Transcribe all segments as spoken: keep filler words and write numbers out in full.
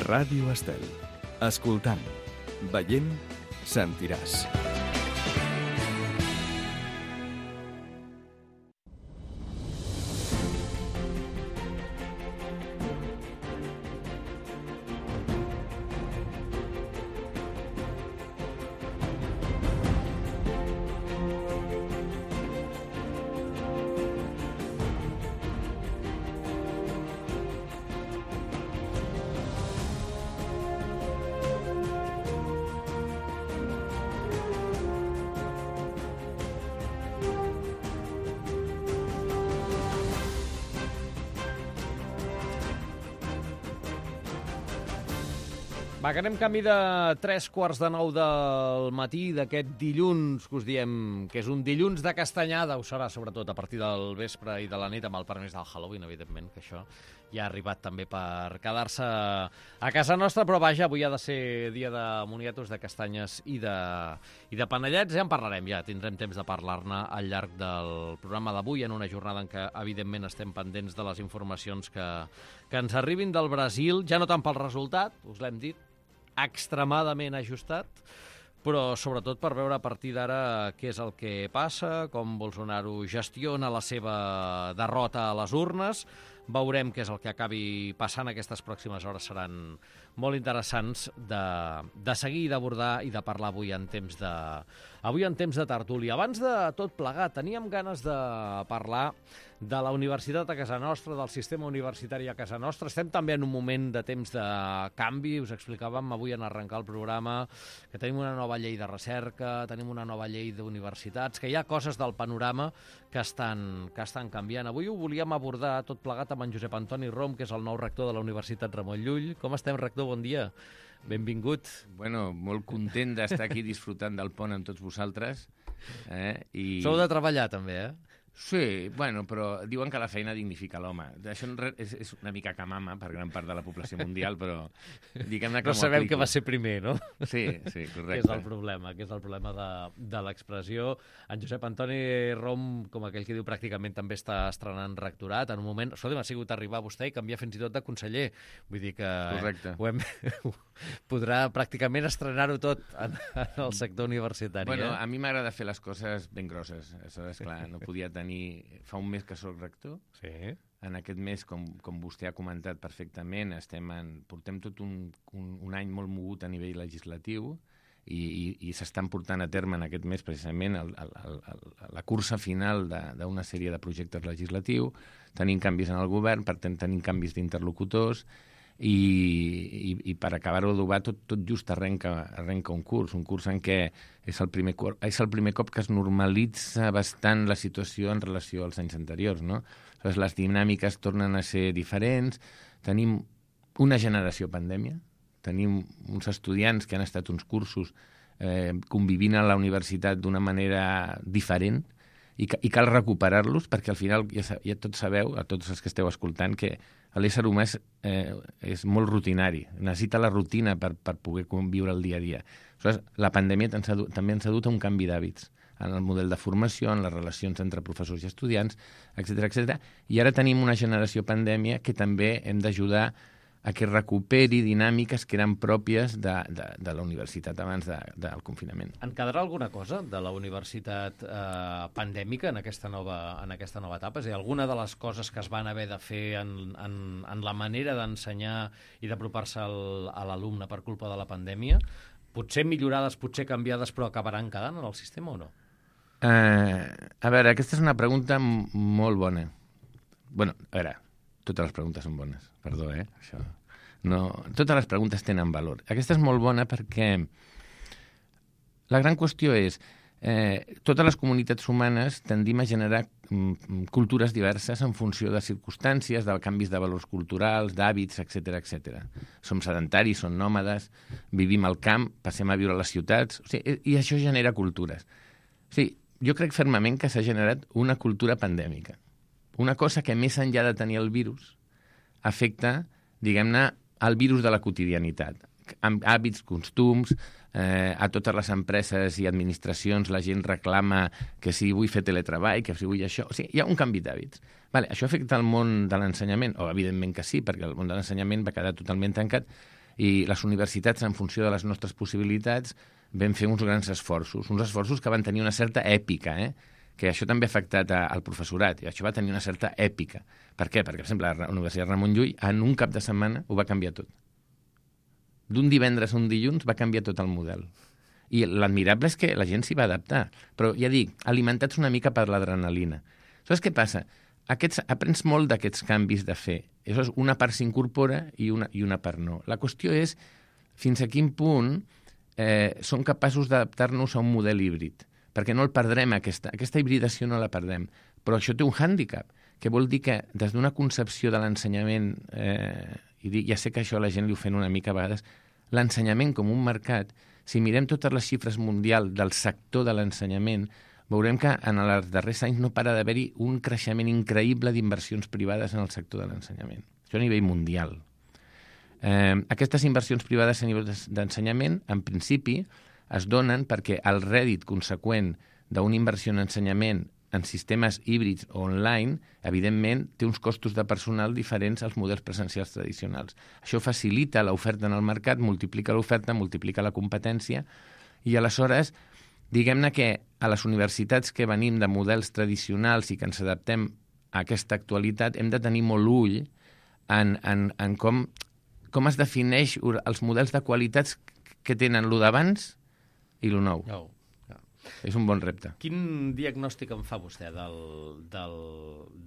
Ràdio Estel. Escoltant, veient, sentiràs. Va, que anem camí de tres quarts de nou del matí d'aquest dilluns, que us diem que és un dilluns de castanyada, ho serà sobretot a partir del vespre i de la nit, amb el permís del Halloween, evidentment, que això ja ha arribat també per quedar-se a casa nostra, però vaja, avui ha de ser dia de moniatos, de castanyes i de, i de panellets, ja en parlarem, ja tindrem temps de parlar-ne al llarg del programa d'avui, en una jornada en què, evidentment, estem pendents de les informacions que, que ens arribin del Brasil, ja no tant pel resultat, us l'hem dit, extremadament ajustat, però sobretot per veure a partir d'ara què és el que passa, com Bolsonaro gestiona la seva derrota a les urnes. Veurem què és el que acabi passant. Aquestes pròximes hores seran molt interessants de, de seguir i d'abordar i de parlar avui en temps de, avui en temps de tertúlia. Abans de tot plegat, teníem ganes de parlar de la universitat a casa nostra, del sistema universitari a casa nostra. Estem també en un moment de temps de canvi. Us explicàvem avui en arrencar el programa que tenim una nova llei de recerca, tenim una nova llei d'universitats, que hi ha coses del panorama que estan, que estan canviant. Avui ho volíem abordar tot plegat amb en Josep Antoni Rom, que és el nou rector de la Universitat Ramon Llull. Com estem, rector? Bon dia. Benvingut. Bueno, molt content d'estar aquí disfrutant del pont amb tots vosaltres. Eh? I... Sou de treballar, també, eh? Sí, bueno, però diuen que la feina dignifica l'home. Això és, és una mica camama per gran part de la població mundial, però diguem-ne que no m'ho sabem aplico. què va ser primer, no? Sí, sí, correcte. Que és el problema, que és el problema de, de l'expressió. En Josep Antoni Rom, com aquell que diu, pràcticament també està estrenant rectorat. En un moment, escolta, m'ha sigut arribar a vostè i canviar fins i tot de conseller. Vull dir que correcte. Ho hem, podrà pràcticament estrenar-ho tot en, en el sector universitari. Bueno, eh? a mi m'agrada fer les coses ben grosses. Això és clar, no podia tenir... Fa un mes que soc rector. Sí. En aquest mes, com, com vostè ha comentat perfectament, estem en, portem tot un, un, un any molt mogut a nivell legislatiu i, i, i s'estan portant a terme en aquest mes precisament el, el, el, el, la cursa final d'una sèrie de projectes legislatius. Tenim canvis en el govern, per tant tenim canvis d'interlocutors i, i, i per acabar-ho d'adobar tot, tot just arrenca, arrenca un curs, un curs en què és el, primer, és el primer cop que es normalitza bastant la situació en relació als anys anteriors, no? Aleshores, les dinàmiques tornen a ser diferents, tenim una generació pandèmia, tenim uns estudiants que han estat uns cursos eh, convivint a la universitat d'una manera diferent, i, i cal recuperar-los perquè al final ja, ja tots sabeu, a tots els que esteu escoltant, que l'ésser humà és, eh, és molt rutinari, necessita la rutina per, per poder conviure el dia a dia. Aleshores, la pandèmia ens ha, també ens ha dut a un canvi d'hàbits en el model de formació, en les relacions entre professors i estudiants, etcètera, etcètera. I ara tenim una generació pandèmia que també hem d'ajudar a que recuperi dinàmiques que eren pròpies de, de, de la universitat abans de, del confinament. En quedarà alguna cosa de la universitat eh, pandèmica en aquesta, nova, en aquesta nova etapa? És a dir, alguna de les coses que es van haver de fer en, en, en la manera d'ensenyar i d'apropar-se a l'alumne per culpa de la pandèmia, potser millorades, potser canviades, però acabaran quedant en el sistema o no? Uh, a veure, aquesta és una pregunta molt bona. Bueno, a veure, totes les preguntes són bones, perdó, eh? Això. No, totes les preguntes tenen valor. Aquesta és molt bona perquè la gran qüestió és eh, totes les comunitats humanes tendim a generar mm, cultures diverses en funció de circumstàncies, de canvis de valors culturals, d'hàbits, etcètera, etcètera. Som sedentaris, som nòmades, vivim al camp, passem a viure a les ciutats, o sigui, i això genera cultures. O sigui, jo crec fermament que s'ha generat una cultura pandèmica. Una cosa que més enllà de tenir el virus afecta, diguem-ne, el virus de la quotidianitat. Amb hàbits, costums, eh, a totes les empreses i administracions la gent reclama que si vull fer teletreball, que si vull això... O sigui, hi ha un canvi d'hàbits. Vale, això afecta el món de l'ensenyament? O, evidentment que sí, perquè el món de l'ensenyament va quedar totalment tancat. I les universitats, en funció de les nostres possibilitats, vam fer uns grans esforços, uns esforços que van tenir una certa èpica, eh? que això també ha afectat a, al professorat, i això va tenir una certa èpica. Per què? Perquè, per exemple, la Universitat Ramon Llull en un cap de setmana ho va canviar tot. D'un divendres a un dilluns va canviar tot el model. I l'admirable és que la gent s'hi va adaptar. Però, ja dic, alimentats una mica per l'adrenalina. Saps què passa? Aquests, aprens molt d'aquests canvis de fer. Aleshores, una part s'incorpora i una, i una part no. La qüestió és fins a quin punt eh, som capaços d'adaptar-nos a un model híbrid, perquè no el perdrem, aquesta, aquesta hibridació no la perdem. Però això té un hàndicap, que vol dir que des d'una concepció de l'ensenyament, eh, i dic, ja sé que això a la gent li ofèn una mica a vegades, l'ensenyament com un mercat, si mirem totes les xifres mundials del sector de l'ensenyament, veurem que en els darrers anys no para d'haver-hi un creixement increïble d'inversions privades en el sector de l'ensenyament. Això a nivell mundial. Eh, aquestes inversions privades a nivell d'ensenyament, en principi, es donen perquè el rèdit conseqüent d'una inversió en ensenyament en sistemes híbrids o online, evidentment, té uns costos de personal diferents als models presencials tradicionals. Això facilita l'oferta en el mercat, multiplica l'oferta, multiplica la competència, i aleshores, diguem-ne que a les universitats que venim de models tradicionals i que ens adaptem a aquesta actualitat, hem de tenir molt ull en, en, en com, com es defineix els models de qualitats que tenen lo d'abans i lo nou. Oh, ja. És un bon repte. Quin diagnòstic en fa vostè del, del,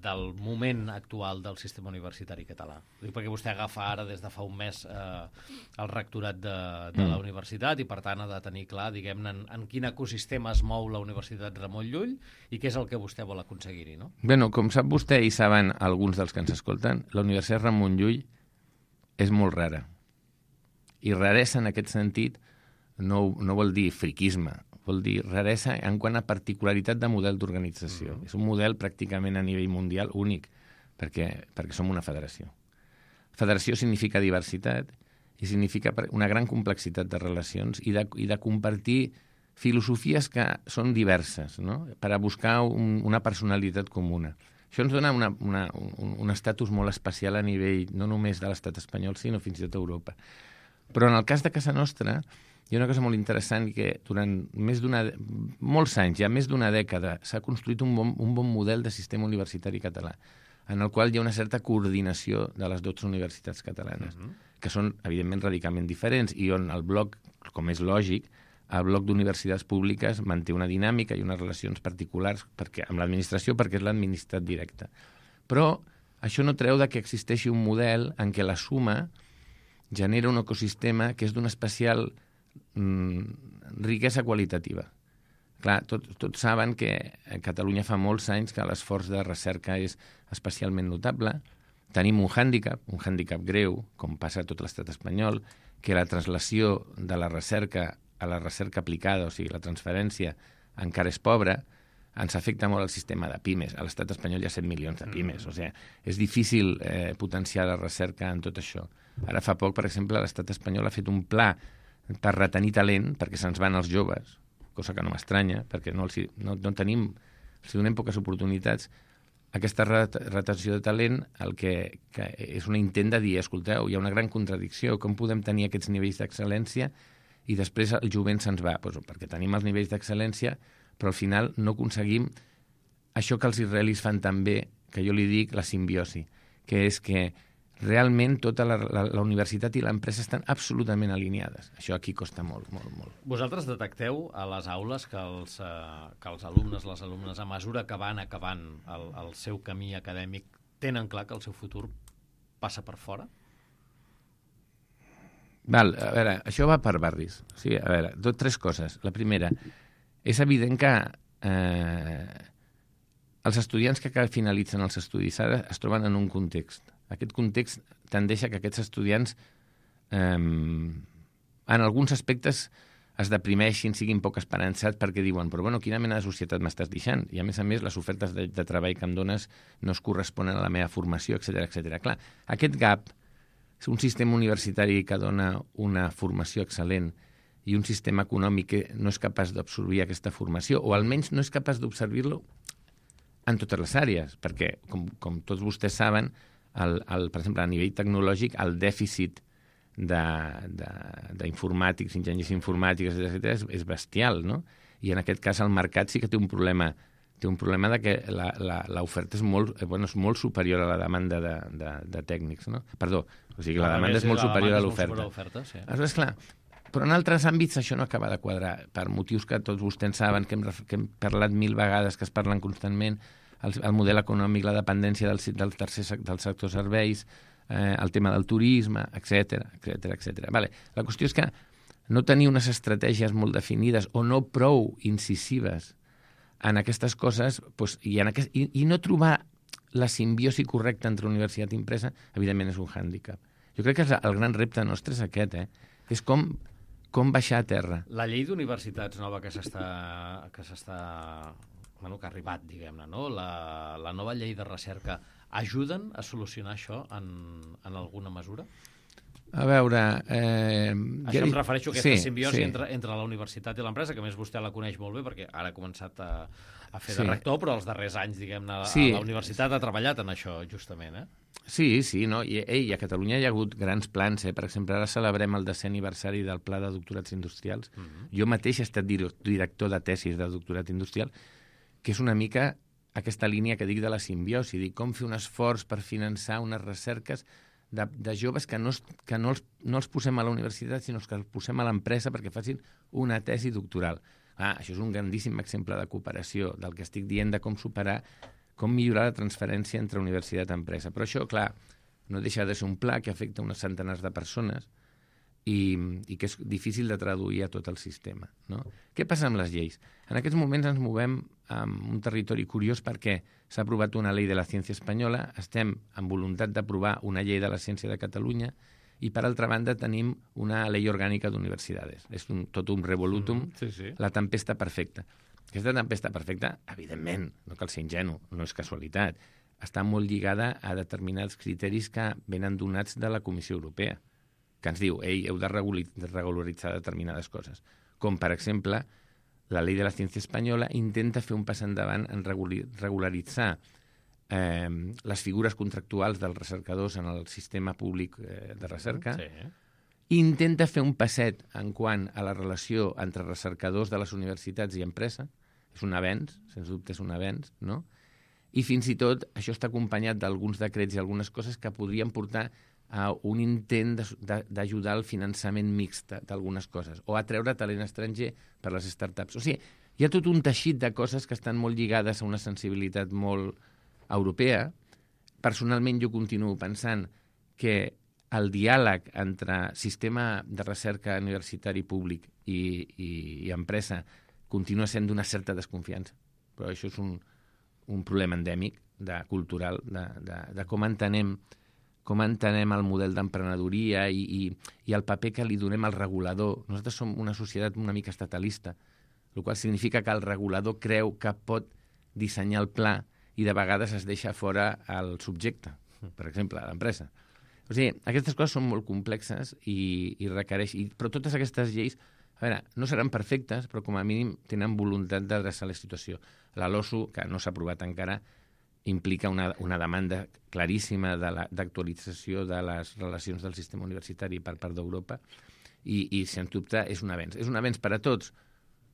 del moment actual del sistema universitari català? Dic perquè vostè agafa ara, des de fa un mes, eh, el rectorat de, de mm. la universitat i, per tant, ha de tenir clar, diguem-ne, en, en quin ecosistema es mou la Universitat Ramon Llull i què és el que vostè vol aconseguir-hi, no? Bé, no, com sap vostè i saben alguns dels que ens escolten, la Universitat Ramon Llull és molt rara. I raresa, en aquest sentit, no, no vol dir friquisme, vol dir raresa en quant a particularitat de model d'organització. Mm. És un model pràcticament a nivell mundial únic, perquè, perquè som una federació. Federació significa diversitat i significa una gran complexitat de relacions i de, i de compartir filosofies que són diverses, no? Per a buscar un, una personalitat comuna. Això ens dona una, una, un, un estatus molt especial a nivell no només de l'estat espanyol, sinó fins i tot Europa. Però en el cas de casa nostra, hi ha una cosa molt interessant que durant més d'una, molts anys, ja més d'una dècada, s'ha construït un bon, un bon model de sistema universitari català, en el qual hi ha una certa coordinació de les dotze universitats catalanes, uh-huh. que són, evidentment, radicalment diferents, i on el bloc, com és lògic, el bloc d'universitats públiques manté una dinàmica i unes relacions particulars perquè, amb l'administració, perquè és l'administrat directe. Però això no treu de que existeixi un model en què la suma genera un ecosistema que és d'una especial mm, riquesa qualitativa. Clar, tots tot saben que a Catalunya fa molts anys que l'esforç de recerca és especialment notable. Tenim un hàndicap, un hàndicap greu, com passa a tot l'estat espanyol, que la translació de la recerca a la recerca aplicada, o sigui, la transferència, encara és pobra, ens afecta molt el sistema de pimes. A l'estat espanyol hi ha set milions de pimes, mm. o sigui, és difícil eh, potenciar la recerca en tot això. Ara fa poc, per exemple, l'estat espanyol ha fet un pla per retenir talent, perquè se'ns van els joves, cosa que no m'estranya, perquè no, els, no, no tenim, els donem poques oportunitats. Aquesta retenció de talent el que, que és un intent de dir, escolteu, hi ha una gran contradicció, com podem tenir aquests nivells d'excel·lència i després el jovent se'ns va, doncs, perquè tenim els nivells d'excel·lència, però al final no aconseguim això que els israelis fan també, que jo li dic la simbiosi, que és que realment tota la, la, la universitat i l'empresa estan absolutament alineades. Això aquí costa molt, molt, molt. Vosaltres detecteu a les aules que els, eh, que els alumnes, les alumnes, a mesura que van acabant el, el seu camí acadèmic, tenen clar que el seu futur passa per fora? Val, a veure, això va per barris. O sigui, a veure, tot tres coses. La primera, és evident que eh, els estudiants que finalitzen els estudis ara es troben en un context. Aquest context tendeix a que aquests estudiants eh, en alguns aspectes es deprimeixin, siguin poc esperançats perquè diuen, però bueno, quina mena de societat m'estàs deixant? I a més a més les ofertes de, de treball que em dones no es corresponen a la meva formació, etcètera, etcètera. Clar, aquest gap, un sistema universitari que dona una formació excel·lent i un sistema econòmic que no és capaç d'absorbir aquesta formació, o almenys no és capaç d'observar-lo en totes les àrees, perquè, com, com tots vostès saben, el, el, per exemple, a nivell tecnològic, el dèficit d'informàtics, enginyers informàtics, etcètera, és, és bestial, no? I en aquest cas el mercat sí que té un problema té un problema de que l'oferta és molt, bueno, és molt superior a la demanda de, de, de tècnics, no? Perdó, o sigui, la, la demanda és molt superior a l'oferta. Sí. Aleshores, clar, però en altres àmbits això no acaba de quadrar, per motius que tots vostès saben, que hem, que hem parlat mil vegades, que es parlen constantment, el, el model econòmic, la dependència del, del tercer del sector serveis, eh, el tema del turisme, etcètera, etcètera, etcètera. Vale. La qüestió és que no tenir unes estratègies molt definides o no prou incisives en aquestes coses, doncs, i, en aquest, i, i no trobar la simbiosi correcta entre universitat i empresa, evidentment és un hàndicap. Jo crec que el gran repte nostre és aquest, eh? És com, com baixar a terra. La llei d'universitats nova que s'està... que s'està... bueno, que ha arribat, diguem-ne, no? La, la nova llei de recerca, ajuden a solucionar això en, en alguna mesura? A veure... Eh, Això ja... em refereixo a aquesta sí, simbiosi sí. entre, entre la universitat i l'empresa, que a més vostè la coneix molt bé, perquè ara ha començat a, a fer sí. de rector, però els darrers anys, diguem-ne, sí. a la universitat ha treballat en això, justament, eh? Sí, sí, no? I, ei, a Catalunya hi ha hagut grans plans, eh? Per exemple, ara celebrem el desè aniversari del Pla de Doctorats Industrials. Uh -huh. Jo mateix he estat director de tesis de doctorat industrial, que és una mica aquesta línia que dic de la simbiosi, dic com fer un esforç per finançar unes recerques De, de joves que, no, que no, els, no els posem a la universitat, sinó que els posem a l'empresa perquè facin una tesi doctoral. Ah, això és un grandíssim exemple de cooperació, del que estic dient de com superar, com millorar la transferència entre universitat i empresa. Però això, clar, no deixa de ser un pla que afecta unes centenars de persones i, i que és difícil de traduir a tot el sistema, no? Què passa amb les lleis? En aquests moments ens movem en un territori curiós perquè s'ha aprovat una llei de la ciència espanyola, estem amb voluntat d'aprovar una llei de la ciència de Catalunya i, per altra banda, tenim una llei orgànica d'universitats. És un, tot un revolutum, mm, sí, sí. La tempesta perfecta. Aquesta tempesta perfecta, evidentment, no cal ser ingenu, no és casualitat, està molt lligada a determinats criteris que venen donats de la Comissió Europea, que ens diu, ei, heu de regularitzar determinades coses. Com, per exemple, la llei de la ciència espanyola intenta fer un pas endavant en regularitzar eh, les figures contractuals dels recercadors en el sistema públic eh, de recerca, sí. Intenta fer un passet en quant a la relació entre recercadors de les universitats i empresa, és un avenç, sens dubte és un avenç, no? I fins i tot això està acompanyat d'alguns decrets i algunes coses que podrien portar a un intent d'ajudar al finançament mixt d'algunes coses, o a treure talent estranger per les startups. O sigui, hi ha tot un teixit de coses que estan molt lligades a una sensibilitat molt europea. Personalment, jo continuo pensant que el diàleg entre sistema de recerca universitari públic i, i, i empresa continua sent d'una certa desconfiança. Però això és un, un problema endèmic, de, cultural, de, de, de com entenem com entenem el model d'emprenedoria i, i, i el paper que li donem al regulador. Nosaltres som una societat una mica estatalista, el qual significa que el regulador creu que pot dissenyar el pla i de vegades es deixa fora el subjecte, per exemple, l'empresa. O sigui, aquestes coses són molt complexes i, i requereix... I, però totes aquestes lleis, a veure, no seran perfectes, però com a mínim tenen voluntat d'adreçar la situació. La LOSU, que no s'ha aprovat encara, implica una, una demanda claríssima d'actualització de, de les relacions del sistema universitari per part d'Europa i, i, sens dubte, és un avenç. És un avenç per a tots,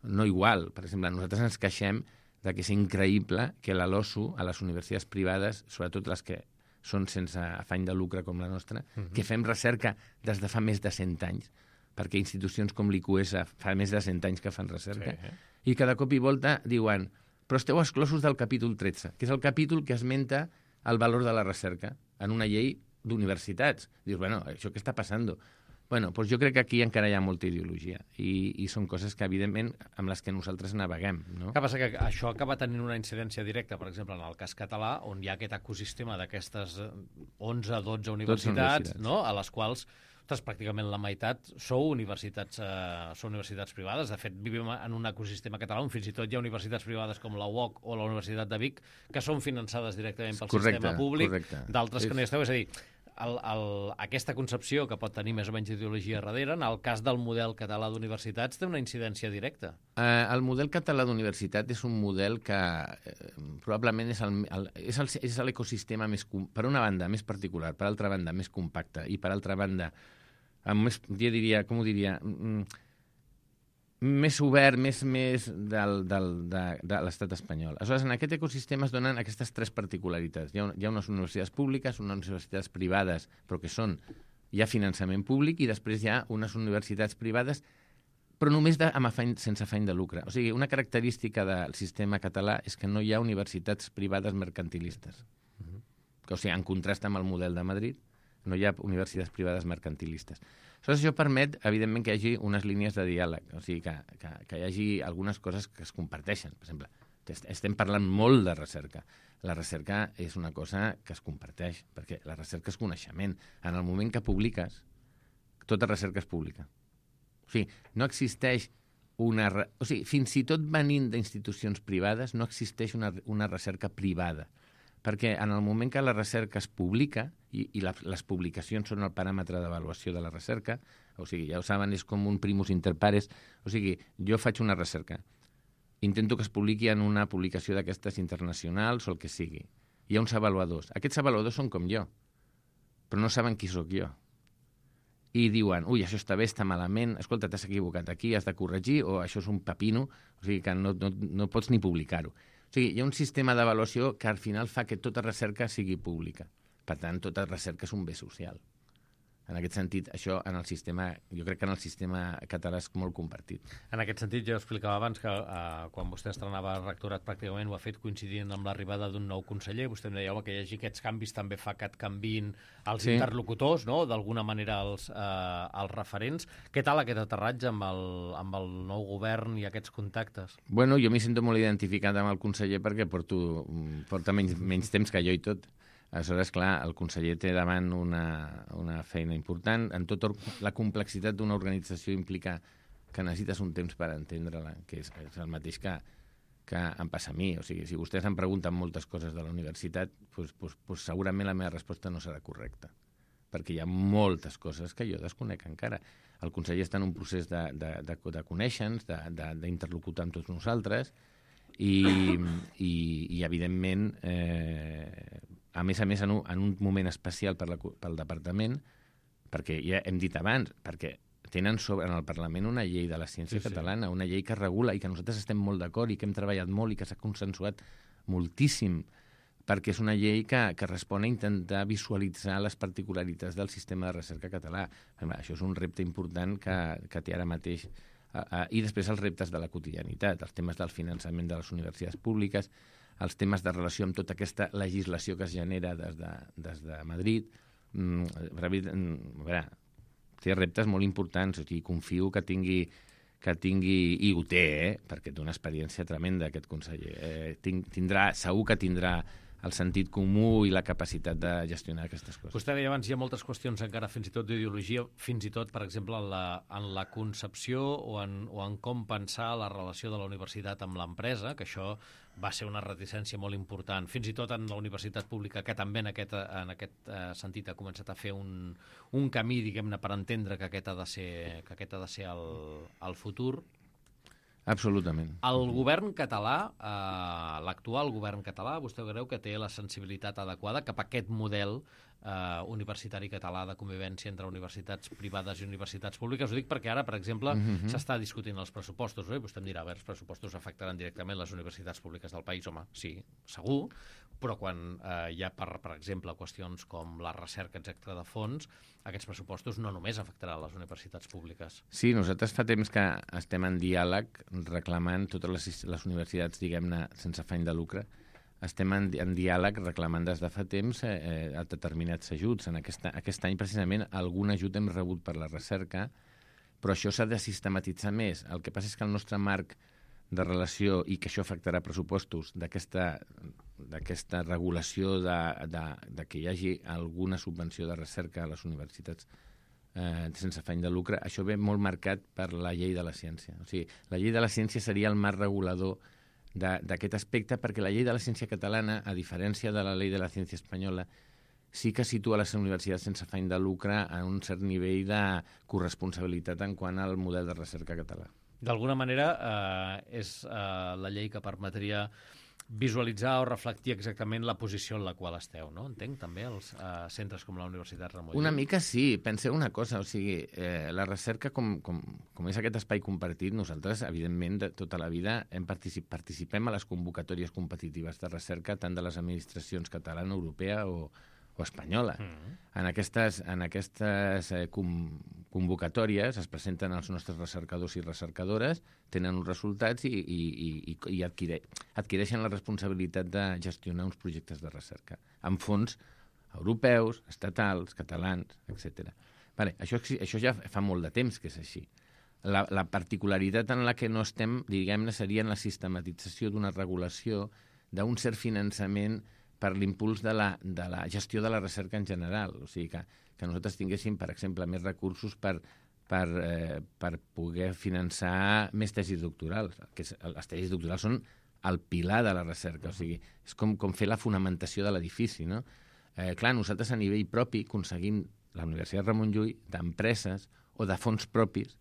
no igual. Per exemple, nosaltres ens queixem de que és increïble que la LOSU, a les universitats privades, sobretot les que són sense afany de lucre com la nostra, uh-huh. que fem recerca des de fa més de cent anys, perquè institucions com l'I Q S fa més de cent anys que fan recerca, sí. I cada cop i volta diuen però esteu exclosos del capítol tretze, que és el capítol que esmenta el valor de la recerca en una llei d'universitats. Dius, bueno, això què està passant? Bueno, doncs jo crec que aquí encara hi ha molta ideologia i, i són coses que, evidentment, amb les que nosaltres naveguem. No? Que passa que això acaba tenint una incidència directa, per exemple, en el cas català, on hi ha aquest ecosistema d'aquestes onze dotze universitats, universitats. No? A les quals ostres, pràcticament la meitat sou universitats, eh, sou universitats privades. De fet, vivim en un ecosistema català on fins i tot hi ha universitats privades com la U O C o la Universitat de Vic que són finançades directament pel correcte, sistema públic, d'altres que no hi esteu. És a dir, el, el, aquesta concepció que pot tenir més o menys ideologia darrere, en el cas del model català d'universitats, té una incidència directa. Eh, el model català d'universitat és un model que eh, probablement és el, el, és el, és l'ecosistema més, per una banda, més particular, per altra banda, més compacte, i per altra banda, més, jo diria, com ho diria, més obert, més, més del, del, de, de l'estat espanyol. Aleshores, en aquest ecosistema es donen aquestes tres particularitats. Hi ha, hi ha unes universitats públiques, unes universitats privades, però que són, hi ha finançament públic, i després hi ha unes universitats privades, però només de, amb afany, sense afany de lucre. O sigui, una característica del sistema català és que no hi ha universitats privades mercantilistes. Uh-huh. O sigui, en contrast amb el model de Madrid, no hi ha universitats privades mercantilistes. Aleshores, això permet, evidentment, que hi hagi unes línies de diàleg, o sigui, que, que, que hi hagi algunes coses que es comparteixen. Per exemple, estem parlant molt de recerca. La recerca és una cosa que es comparteix, perquè la recerca és coneixement. En el moment que publiques, tota recerca és pública. O sigui, no existeix una... Re... O sigui, fins i tot venint d'institucions privades, no existeix una, una recerca privada. Perquè en el moment que la recerca es publica, i, i la, les publicacions són el paràmetre d'avaluació de la recerca, o sigui, ja ho saben, és com un primus inter pares, o sigui, jo faig una recerca, intento que es publiqui en una publicació d'aquestes internacionals o el que sigui. Hi ha uns avaluadors. Aquests avaluadors són com jo, però no saben qui sóc jo. I diuen, ui, això està bé, està malament, escolta, t'has equivocat aquí, has de corregir, o això és un pepino, o sigui que no, no, no pots ni publicar-ho. O sigui, hi ha un sistema d'avaluació que al final fa que tota recerca sigui pública. Per tant, tota recerca és un bé social. En aquest sentit, això en el sistema, jo crec que en el sistema català és molt compartit. En aquest sentit, jo explicava abans que eh, quan vostè estrenava el rectorat pràcticament ho ha fet coincidint amb l'arribada d'un nou conseller. Vostè em deia, home, que hi hagi aquests canvis també fa que et canviïn els sí. interlocutors, no? D'alguna manera els, eh, els referents. Què tal aquest aterratge amb el, amb el nou govern i aquests contactes? Bueno, jo m'hi sento molt identificat amb el conseller perquè porto, porta menys, menys temps que jo i tot. Aleshores, clar, el conseller té davant una, una feina important. En tota la complexitat d'una organització implica que necessites un temps per entendre-la, que és, és el mateix que, que em passa a mi. O sigui, si vostès em pregunten moltes coses de la universitat, doncs, doncs, doncs segurament la meva resposta no serà correcta, perquè hi ha moltes coses que jo desconec encara. El conseller està en un procés de, de, de, de conèixer-nos, d'interlocutar amb tots nosaltres, i, i, i evidentment... Eh, a més a més, en un, en un moment especial per la, pel departament, perquè ja hem dit abans, perquè tenen sobre en el Parlament una llei de la ciència sí, catalana, sí. una llei que regula i que nosaltres estem molt d'acord i que hem treballat molt i que s'ha consensuat moltíssim, perquè és una llei que, que respon a intentar visualitzar les particularitats del sistema de recerca català. Això és un repte important que, que té ara mateix. Uh, uh, I després els reptes de la quotidianitat, els temes del finançament de les universitats públiques, els temes de relació amb tota aquesta legislació que es genera des de, des de Madrid. Mm, a veure, té reptes molt importants, o sigui, confio que tingui, que tingui, i ho té, eh, perquè té una experiència tremenda aquest conseller. Eh, tinc, tindrà, segur que tindrà el sentit comú i la capacitat de gestionar aquestes coses. Vostè deia abans, hi ha moltes qüestions encara fins i tot d'ideologia, fins i tot, per exemple, en la, en la concepció o en, o en com pensar la relació de la universitat amb l'empresa, que això va ser una reticència molt important, fins i tot en la universitat pública, que també en aquest, en aquest uh, sentit ha començat a fer un, un camí, diguem-ne, per entendre que aquest ha de ser, que aquest ha de ser el, el futur. Absolutament. El govern català, eh, l'actual govern català, vostè creu que té la sensibilitat adequada cap a aquest model eh, universitari català de convivència entre universitats privades i universitats públiques? Ho dic perquè ara, per exemple, mm-hmm. s'està discutint els pressupostos, no? I vostè em dirà, a veure, els pressupostos afectaran directament les universitats públiques del país. Home, sí, segur, però quan eh, hi ha, per, per exemple, qüestions com la recerca, etcètera, de fons, aquests pressupostos no només afectaran les universitats públiques. Sí, nosaltres fa temps que estem en diàleg reclamant totes les, les universitats, diguem-ne, sense afany de lucre, estem en, en diàleg reclamant des de fa temps eh, determinats ajuts. En aquesta, aquest any, precisament, algun ajut hem rebut per la recerca, però això s'ha de sistematitzar més. El que passa és que el nostre marc de relació, i que això afectarà pressupostos, d'aquesta d'aquesta regulació de, de, de que hi hagi alguna subvenció de recerca a les universitats eh, sense afany de lucre, això ve molt marcat per la llei de la ciència. O sigui, la llei de la ciència seria el marc regulador d'aquest aspecte, perquè la llei de la ciència catalana, a diferència de la llei de la ciència espanyola, sí que situa les universitats sense afany de lucre en un cert nivell de corresponsabilitat en quant al model de recerca català. D'alguna manera, eh, és eh, la llei que permetria visualitzar o reflectir exactament la posició en la qual esteu, no? Entenc, també, els uh, centres com la Universitat Ramon Llull. Una mica sí. Penseu una cosa, o sigui, eh, la recerca, com, com, com és aquest espai compartit, nosaltres, evidentment, de tota la vida hem particip participem a les convocatòries competitives de recerca tant de les administracions catalana, europea o, o espanyola. Mm. En aquestes, en aquestes eh, com, convocatòries es presenten els nostres recercadors i recercadores, tenen uns resultats i, i, i, i adquire, adquireixen la responsabilitat de gestionar uns projectes de recerca amb fons europeus, estatals, catalans, etcètera. Vale, això, això ja fa molt de temps que és així. La, la particularitat en la que no estem, diguem-ne, seria en la sistematització d'una regulació d'un cert finançament per l'impuls de, la, de la gestió de la recerca en general. O sigui, que, que nosaltres tinguéssim, per exemple, més recursos per, per, eh, per poder finançar més tesis doctorals. Que és, les tesis doctorals són el pilar de la recerca, o sigui, és com, com fer la fonamentació de l'edifici, no? Eh, clar, nosaltres a nivell propi aconseguim, la Universitat Ramon Llull, d'empreses o de fons propis,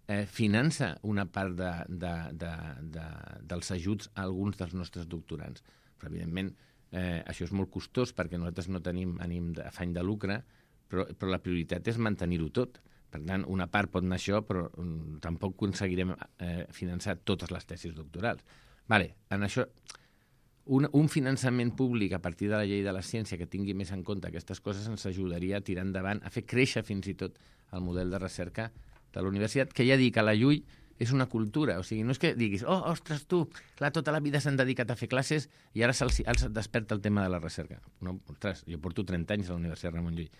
eh, finança una part de, de, de, de, dels ajuts a alguns dels nostres doctorants. Però, evidentment, eh, això és molt costós perquè nosaltres no tenim ànim d'afany de lucre, però, però la prioritat és mantenir-ho tot. Per tant, una part pot anar això, però um, tampoc aconseguirem eh, finançar totes les tesis doctorals. Vale, en això, un, un finançament públic a partir de la llei de la ciència que tingui més en compte aquestes coses ens ajudaria a tirar endavant, a fer créixer fins i tot el model de recerca de la universitat, que ja dic, a la Llull és una cultura. O sigui, no és que diguis, oh, ostres, tu, clar, tota la vida s'han dedicat a fer classes i ara se'ls desperta el tema de la recerca. No, ostres, jo porto trenta anys a la Universitat Ramon Llull.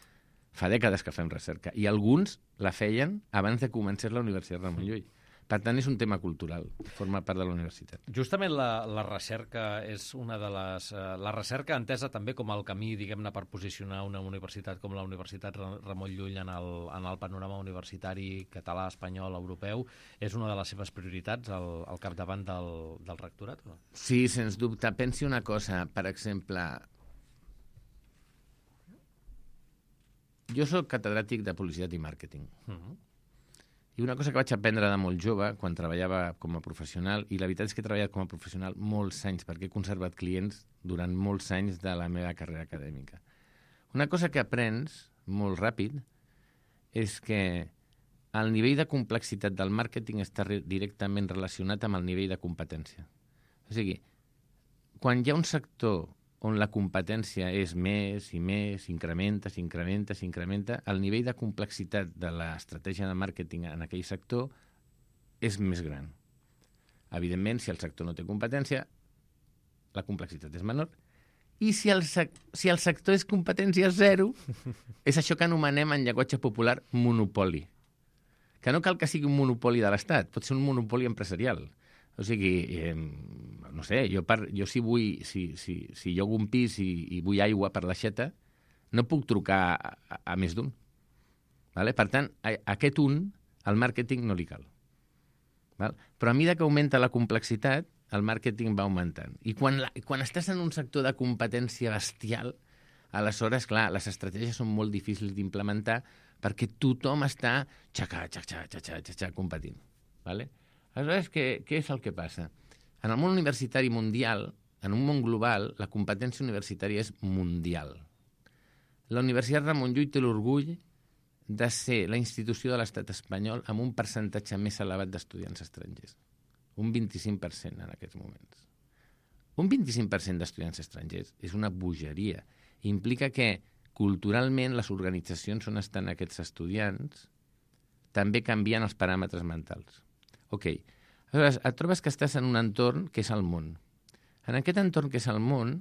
Fa dècades que fem recerca. I alguns la feien abans de començar la Universitat Ramon Llull. Per tant, és un tema cultural, forma part de la universitat. Justament la, la recerca és una de les... Eh, la recerca entesa també com el camí, diguem-ne, per posicionar una universitat com la Universitat Ramon Llull en el, en el panorama universitari català, espanyol, europeu, és una de les seves prioritats al, al capdavant del, del rectorat? No? Sí, sens dubte. Pensi una cosa, per exemple... Jo soc catedràtic de publicitat i màrqueting. Uh-huh. I una cosa que vaig aprendre de molt jove, quan treballava com a professional, i la veritat és que he treballat com a professional molts anys, perquè he conservat clients durant molts anys de la meva carrera acadèmica. Una cosa que aprens molt ràpid és que el nivell de complexitat del màrqueting està re- directament relacionat amb el nivell de competència. O sigui, quan hi ha un sector on la competència és més i més, s'incrementa, s'incrementa, s'incrementa, el nivell de complexitat de l'estratègia de màrqueting en aquell sector és més gran. Evidentment, si el sector no té competència, la complexitat és menor. I si el, sec si el sector és competència zero, és això que anomenem en llenguatge popular monopoli. Que no cal que sigui un monopoli de l'Estat, pot ser un monopoli empresarial. O sigui, eh, no sé, jo, per, jo si vull, si, si, si jo hago un pis i, i vull aigua per l'aixeta, no puc trucar a, a, a més d'un. Vale? Per tant, a, a aquest un, al màrqueting no li cal. Val? Però a mesura que augmenta la complexitat, el màrqueting va augmentant. I quan, la, quan estàs en un sector de competència bestial, aleshores, clar, les estratègies són molt difícils d'implementar perquè tothom està xaca, xaca, xaca, xaca, xaca, competint. Vale? Aleshores, què, què és el que passa? En el món universitari mundial, en un món global, la competència universitària és mundial. La Universitat Ramon Llull té l'orgull de ser la institució de l'estat espanyol amb un percentatge més elevat d'estudiants estrangers. Un vint-i-cinc per cent en aquests moments. Un vint-i-cinc per cent d'estudiants estrangers és una bogeria. Implica que, culturalment, les organitzacions on estan aquests estudiants també canvien els paràmetres mentals. Ok, aleshores et trobes que estàs en un entorn que és el món. En aquest entorn que és el món,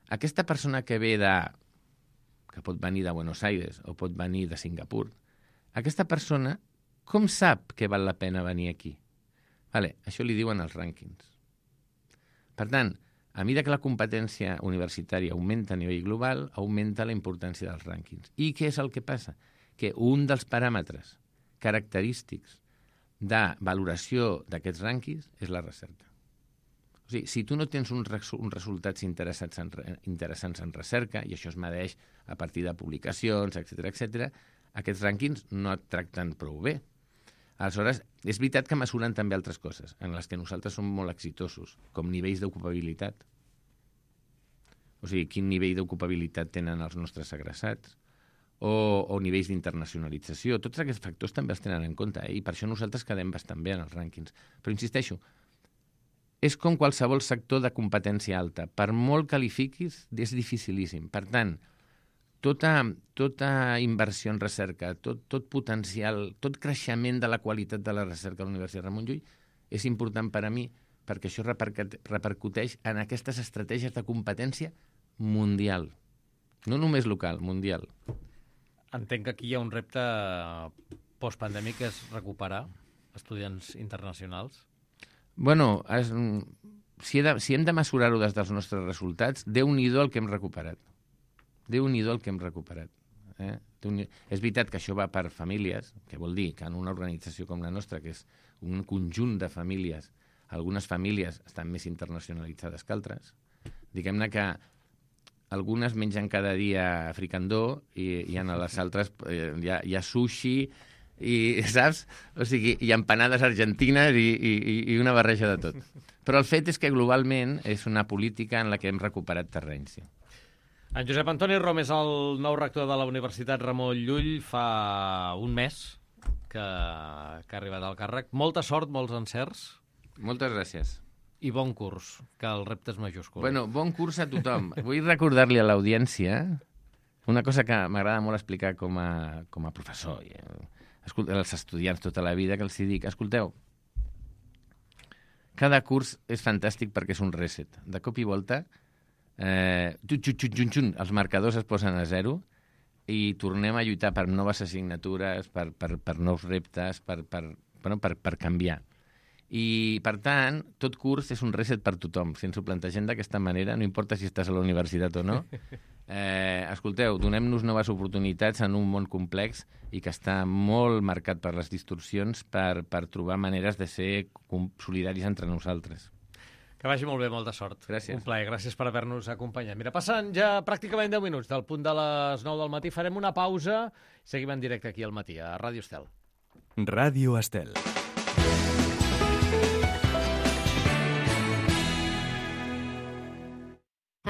aquesta persona que ve de... que pot venir de Buenos Aires o pot venir de Singapur, aquesta persona com sap que val la pena venir aquí? Vale, això li diuen els rànquings. Per tant, a mesura que la competència universitària augmenta a nivell global, augmenta la importància dels rànquings. I què és el que passa? Que un dels paràmetres característics de valoració d'aquests rànquings és la recerca. O sigui, si tu no tens uns, resu uns resultats interessants en, interessants en recerca, i això es medeix a partir de publicacions, etcètera, etcètera, aquests rànquings no et tracten prou bé. Aleshores, és veritat que mesuren també altres coses, en les que nosaltres som molt exitosos, com nivells d'ocupabilitat. o sigui, quin nivell d'ocupabilitat tenen els nostres egressats, o, o nivells d'internacionalització. Tots aquests factors també els tenen en compte, eh? I per això nosaltres quedem bastant bé en els rànquings. Però insisteixo, és com qualsevol sector de competència alta. Per molt que li fiquis, és dificilíssim. Per tant, tota, tota inversió en recerca, tot, tot potencial, tot creixement de la qualitat de la recerca a la Universitat Ramon Llull és important per a mi, perquè això repercuteix en aquestes estratègies de competència mundial. No només local, mundial. Entenc que aquí hi ha un repte postpandèmic, que és recuperar estudiants internacionals. Bueno, es, si, he de, si hem de mesurar-ho des dels nostres resultats, Déu-n'hi-do el que hem recuperat. Déu-n'hi-do el que hem recuperat. Eh? És veritat que això va per famílies, que vol dir que en una organització com la nostra, que és un conjunt de famílies, algunes famílies estan més internacionalitzades que altres. Diguem-ne que algunes mengen cada dia fricandó i, i en les altres eh, hi, ha, hi ha sushi i, saps? O sigui, hi ha empanades argentines i, i, i una barreja de tot. Però el fet és que globalment és una política en la que hem recuperat terreny, sí. En Josep Antoni Rom és el nou rector de la Universitat Ramon Llull. Fa un mes que, que ha arribat al càrrec. Molta sort, molts encerts. Moltes gràcies. I bon curs, que el repte és majúscul. Bueno, bon curs a tothom. Vull recordar-li a l'audiència una cosa que m'agrada molt explicar com a, com a professor i als estudiants tota la vida, que els dic, escolteu, cada curs és fantàstic perquè és un reset. De cop i volta, eh, xun, xun, xun, xun, els marcadors es posen a zero i tornem a lluitar per noves assignatures, per, per, per nous reptes, per, per, bueno, per, per canviar. I, per tant, tot curs és un reset per tothom. Si ens ho plantegem d'aquesta manera, no importa si estàs a la universitat o no, eh, escolteu, donem-nos noves oportunitats en un món complex i que està molt marcat per les distorsions per, per trobar maneres de ser solidaris entre nosaltres. Que vagi molt bé, molta sort. Gràcies. Un plaer, gràcies per haver-nos acompanyat. Mira, passen ja pràcticament deu minuts del punt de les nou del matí. Farem una pausa i seguim en directe aquí al matí, a Ràdio Estel. Ràdio Estel.